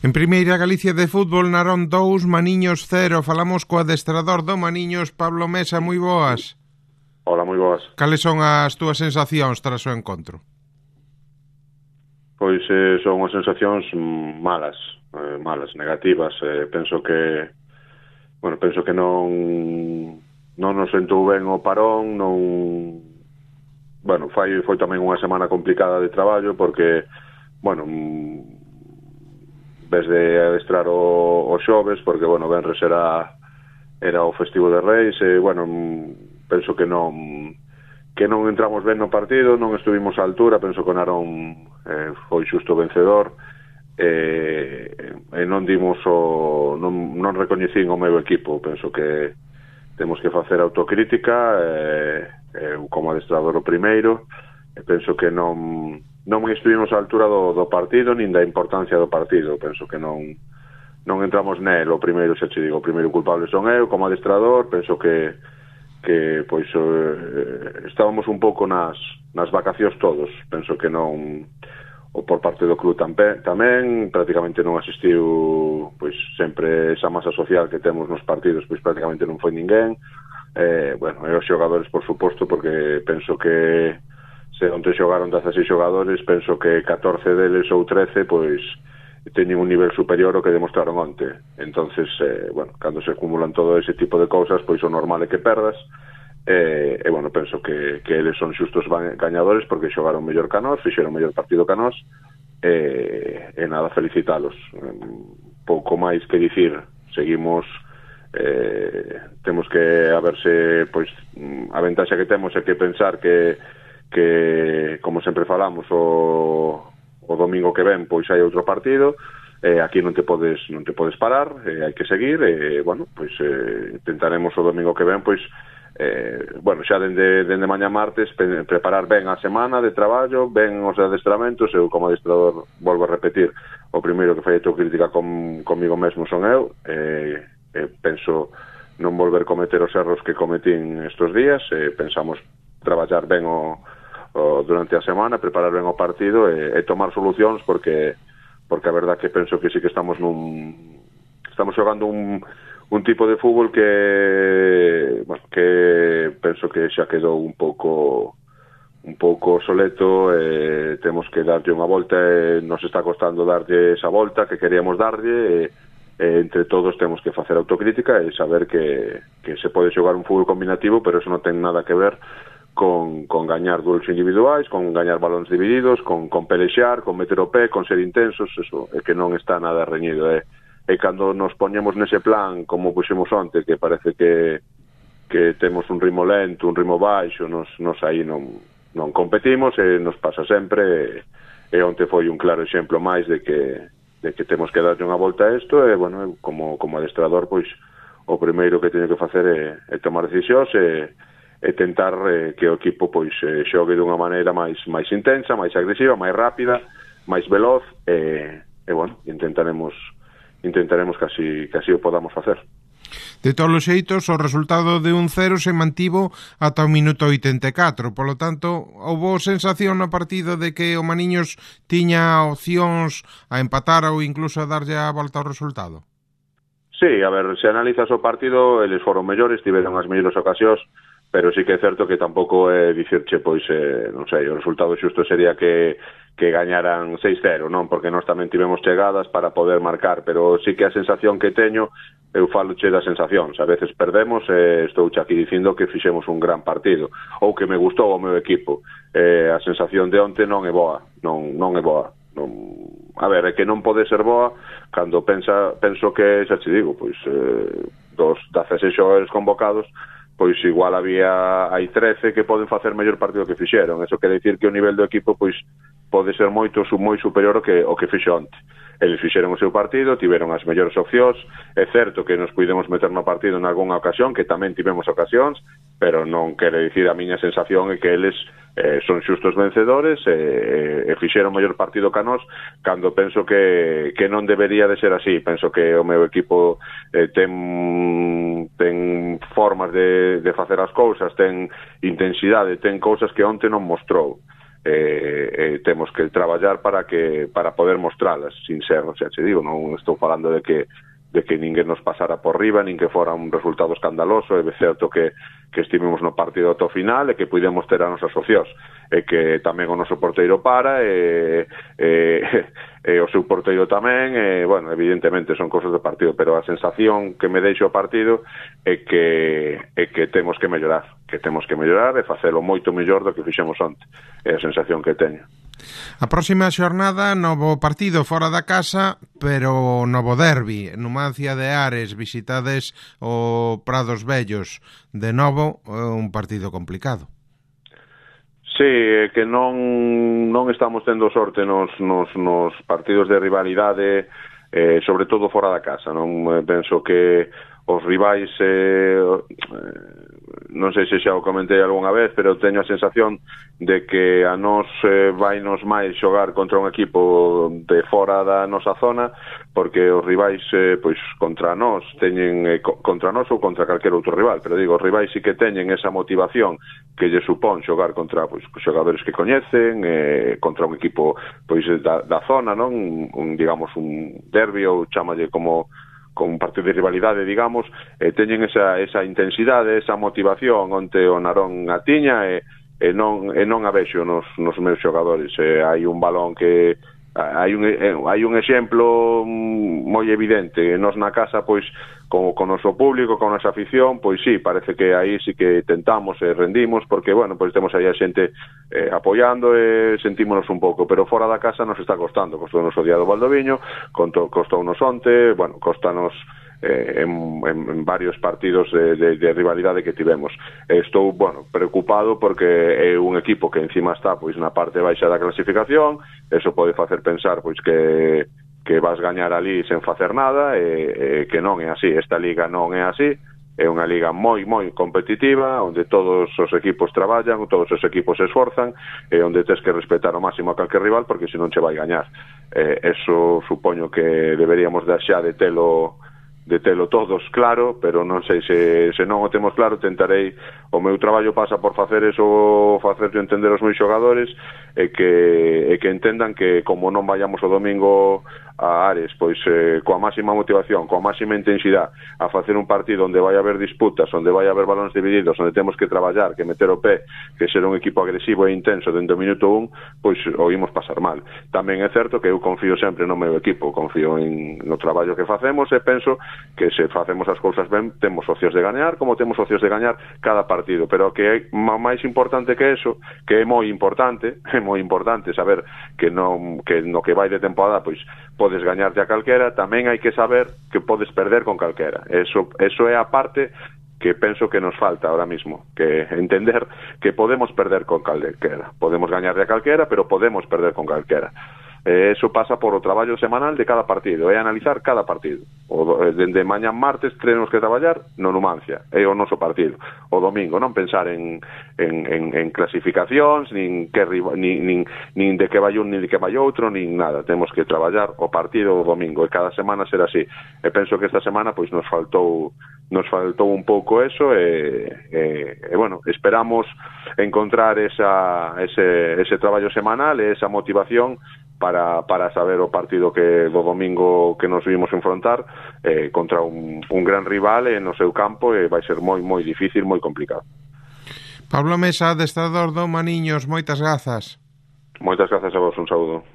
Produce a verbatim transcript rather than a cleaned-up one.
En Primeira Galicia de Fútbol, Narón dous, Maniños cero. Falamos co adestrador do Maniños, Pablo Mesa, moi boas. Hola, moi boas. Cales son as túas sensacións tras o encontro? Pois eh, son as sensacións malas, eh, malas, negativas. Eh, penso que, bueno, penso que non non nos sentou ben o parón, non... Bueno, foi, foi tamén unha semana complicada de traballo porque, bueno, vez de adestrar o, o xoves, porque, bueno, venres era, era o festivo de Reis, e, bueno, penso que non que non entramos ben no partido, non estuvimos á altura, penso que o Narón eh, foi xusto vencedor, e, e non dimos o... non, non recoñecín o meu equipo, penso que temos que facer autocrítica, e, e, como adestrador o primeiro, e penso que non... non estuvimos á altura do, do partido nin da importancia do partido. Penso que non non entramos nel. O primeiro, xa te digo, o primeiro culpable son eu como adestrador. Penso que que pois eh, estábamos un pouco nas nas vacacións todos. Penso que non, o por parte do club tamén, tamén prácticamente non asistiu, pois sempre esa masa social que temos nos partidos, pois prácticamente non foi ninguén. Eh, bueno, e os xogadores, por suposto, porque penso que se onte xogaron dezaseis xogadores, penso que catorce deles ou trece, pois, teñen un nivel superior ao que demostraron onte. Entonces, eh, bueno, cando se acumulan todo ese tipo de cousas, pois o normal é que perdas, e, eh, eh, bueno, penso que, que eles son xustos gañadores porque xogaron mellor que nós, fixeron mellor partido que nós, e, e nada, felicitalos. Pouco máis que dicir, seguimos... Eh, temos que, a verse, pois, a ventaxa que temos é que pensar que que, como sempre falamos, o, o domingo que ven pois hai outro partido, eh, aquí non te podes non te podes parar, eh, hai que seguir, e, eh, bueno, pois eh, intentaremos o domingo que ven, pois, eh, bueno, xa dende, dende mañá martes, pe, preparar ben a semana de traballo, ben os adestramentos. Eu, como adestrador, volvo a repetir, o primeiro que fai autocrítica com, comigo mesmo son eu, e eh, eh, penso non volver cometer os erros que cometín estes días, e eh, pensamos traballar ben o O, durante a semana, preparar ben o partido e, e tomar solucións, porque porque a verdad que penso que sí que estamos nun estamos xogando un, un tipo de fútbol que, bueno, que penso que xa quedou un pouco un pouco soleto, e temos que darlle unha volta, e nos está costando darlle esa volta que queríamos darlle, e, e entre todos temos que facer autocrítica e saber que, que se pode xogar un fútbol combinativo, pero eso non ten nada que ver Con, con gañar duelos individuais, con gañar balóns divididos, con, con pelexar, con meter o pé, con ser intensos. Eso é que non está nada reñido. E, e cando nos poñemos nese plan, como puxemos onte, que parece que, que temos un ritmo lento, un ritmo baixo, nos, nos aí non, non competimos, e nos pasa sempre, e, e onte foi un claro exemplo máis de que, de que temos que darlle unha volta a isto, e, bueno, como, como adestrador, pois, o primeiro que teño que facer é, é tomar decisións, e e tentar eh, que o equipo pois eh, xogue dunha maneira máis máis intensa, máis agresiva, máis rápida, máis veloz, e, e bueno, intentaremos intentaremos que así, que así o podamos facer. De todos os xeitos, o resultado de un cero se mantivo ata o minuto oitenta e catro, polo tanto, houbo sensación no partido de que o Maniños tiña opcións a empatar ou incluso a darlle a volta ao resultado? Sí, a ver, se analizas o partido, eles foron mellores, tiveron as mellores ocasións, pero sí que é certo que tampouco é dicirche, pois, eh, non sei, o resultado xusto sería que, que gañaran seis cero, non? Porque nós tamén tivemos chegadas para poder marcar, pero sí que a sensación que teño, eu faloche das sensacións. A veces perdemos, e eh, estou aquí dicindo que fixemos un gran partido, ou que me gustou o meu equipo. Eh, a sensación de onte non é boa, non, non é boa. Non... A ver, é que non pode ser boa cando pensa, penso que, xa te digo, pois, eh, dos dezasseis xogadores convocados, pois igual había hai trece que poden facer mellor partido que fixeron. Eso quere dicir que o nivel do equipo pois pode ser moito moi superior ao que o que fixo onte. Eles fixeron o seu partido, tiveron as mellores opcións. É certo que nos pudemos meter no partido en algunha ocasión, que tamén tivemos ocasións, pero non quere dicir, a miña sensación é que eles eh, son xustos vencedores, e, e fixeron mellor partido que a nós, cando penso que, que non debería de ser así. Penso que o meu equipo eh, ten, ten formas de, de facer as cousas, ten intensidade, ten cousas que onte non mostrou. eh, eh, temos que traballar para que para poder mostralas, sin ser, o sea, che digo, non estou falando de que de que ninguén nos pasara por riba, nin que fora un resultado escandaloso. É certo que, que estivemos no partido ata o final e que pudemos ter a nosas opcións, e que tamén o noso porteiro para, e, e, e o seu porteiro tamén, e, bueno, evidentemente son cosas do partido, pero a sensación que me deixo o partido é que, é que temos que mellorar, que temos que mellorar e facelo moito mellor do que fixemos onte, é a sensación que teño. A próxima xornada, novo partido fora da casa, pero novo derbi. Numancia de Ares, visitades o Prados Vellos. De novo, un partido complicado. Sí, que non non estamos tendo sorte nos, nos, nos partidos de rivalidade, eh, sobre todo fora da casa. Non penso que os rivais, eh, non sei se xa o comentei algunha vez, pero teño a sensación de que a nos eh, vai nos máis xogar contra un equipo de fora da nosa zona, porque os rivais, eh, pois, contra nós teñen, eh, contra nós ou contra calquer outro rival, pero digo, os rivais sí que teñen esa motivación que lle supón xogar contra, pois, xogadores que coñecen, eh, contra un equipo, pois, da, da zona, non? Un, digamos, un derbi, ou chámalle como con un partido de rivalidade, digamos, eh, teñen esa, esa intensidade, esa motivación onte o Narón a tiña, e, e, non, e non a vexo nos, nos meus xogadores. Eh, hai un balón que hai un, eh, hai un exemplo moi evidente. Nos na casa, pois, con, con o noso público, con a nosa afición, pois sí, parece que aí sí que tentamos e rendimos, porque, bueno, pois temos aí a xente eh, apoiando e sentímonos un pouco, pero fora da casa nos está costando. Costou nos o día do Valdoviño, costou nos onte, bueno, costanos eh, en, en, en varios partidos de, de, de rivalidade que tivemos. Estou, bueno, preocupado porque é un equipo que encima está, pois, na parte baixa da clasificación. Eso pode facer pensar, pois, que que vas gañar ali sen facer nada, e, e que non é así. Esta liga non é así, é unha liga moi, moi competitiva, onde todos os equipos traballan, todos os equipos se esforzan, e onde tens que respetar ao máximo a calquer rival, porque senón che vai gañar. Eh, eso supoño que deberíamos xa de telo de telo todos claro, pero non sei se, se non o temos claro. Tentarei, o meu traballo pasa por facer eso, facer entender aos meus xogadores, e que, e que entendan que como non vayamos o domingo a Ares, pois eh, coa máxima motivación, coa máxima intensidade, a facer un partido onde vai haber disputas, onde vai haber balóns divididos, onde temos que traballar, que meter o pé, que ser un equipo agresivo e intenso dentro do minuto un, pois o imos pasar mal. Tamén é certo que eu confío sempre no meu equipo, confío en, no traballo que facemos, e penso que se facemos as cousas ben, temos opcións de gañar, como temos opcións de gañar cada partido, pero que é máis importante que eso, que é moi importante, é moi importante saber que non, que no que vai de temporada, pois podes gañarte a calquera, tamén hai que saber que podes perder con calquera. Eso, eso é a parte que penso que nos falta ahora mismo, que entender que podemos perder con calquera, podemos gañarle a calquera, pero podemos perder con calquera. Eh, eso pasa por o traballo semanal de cada partido, é analizar cada partido. O, dende mañan martes tenemos que traballar no Numancia, é o noso partido. O domingo non pensar en, en, en, en clasificacións, nin, que, nin, nin, nin de que vai un, nin de que vai outro, nin nada. Temos que traballar o partido o domingo, e cada semana ser así. E penso que esta semana pois nos faltou nos faltou un pouco eso, e, e, e bueno, esperamos encontrar esa, ese, ese traballo semanal e esa motivación para, para saber o partido que do domingo que nos vimos enfrontar eh, contra un, un gran rival en no seu campo, e vai ser moi, moi difícil, moi complicado. Pablo Mesa, adestrador do Maniños, moitas grazas. Moitas grazas a vos, un saúdo.